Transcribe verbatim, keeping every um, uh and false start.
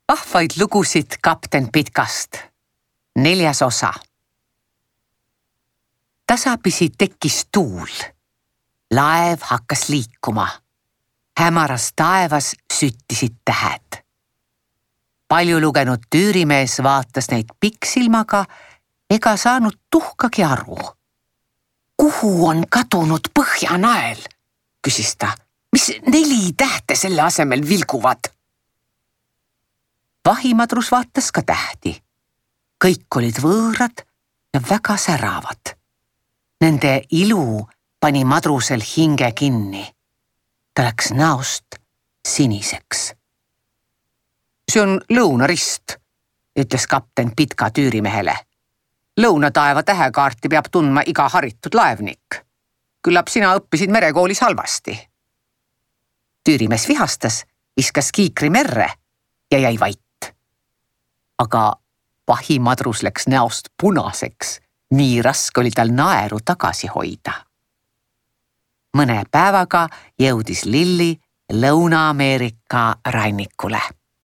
Vahvaid lugusid kapten Pitkast. Neljas osa. Tasapisi tekkis tuul. Laev hakkas liikuma. Hämaras taevas süttisid tähed. Palju lugenud tüürimees vaatas neid pikksilmaga ega saanud tuhkagi aru. Kuhu on kadunud Põhjanael? Küsis ta. Mis neli tähte selle asemel vilguvad? Vahimadrus vaatas ka tähti. Kõik olid võõrad ja väga säravad. Nende ilu pani madrusel hinge kinni. Ta läks näost siniseks. See on lõunarist, ütles kapten Pitka tüürimehele. Lõunataeva tähekaarti peab tundma iga haritud laevnik. Küllap sina õppisid merekoolis halvasti. Tüürimees vihastas, viskas kiikri merre ja jäi vait. Aga vahimadrus läks näost punaseks. Nii raske oli tal naeru tagasi hoida. Mõne päevaga jõudis Lilli Lõuna-Ameerika rannikule.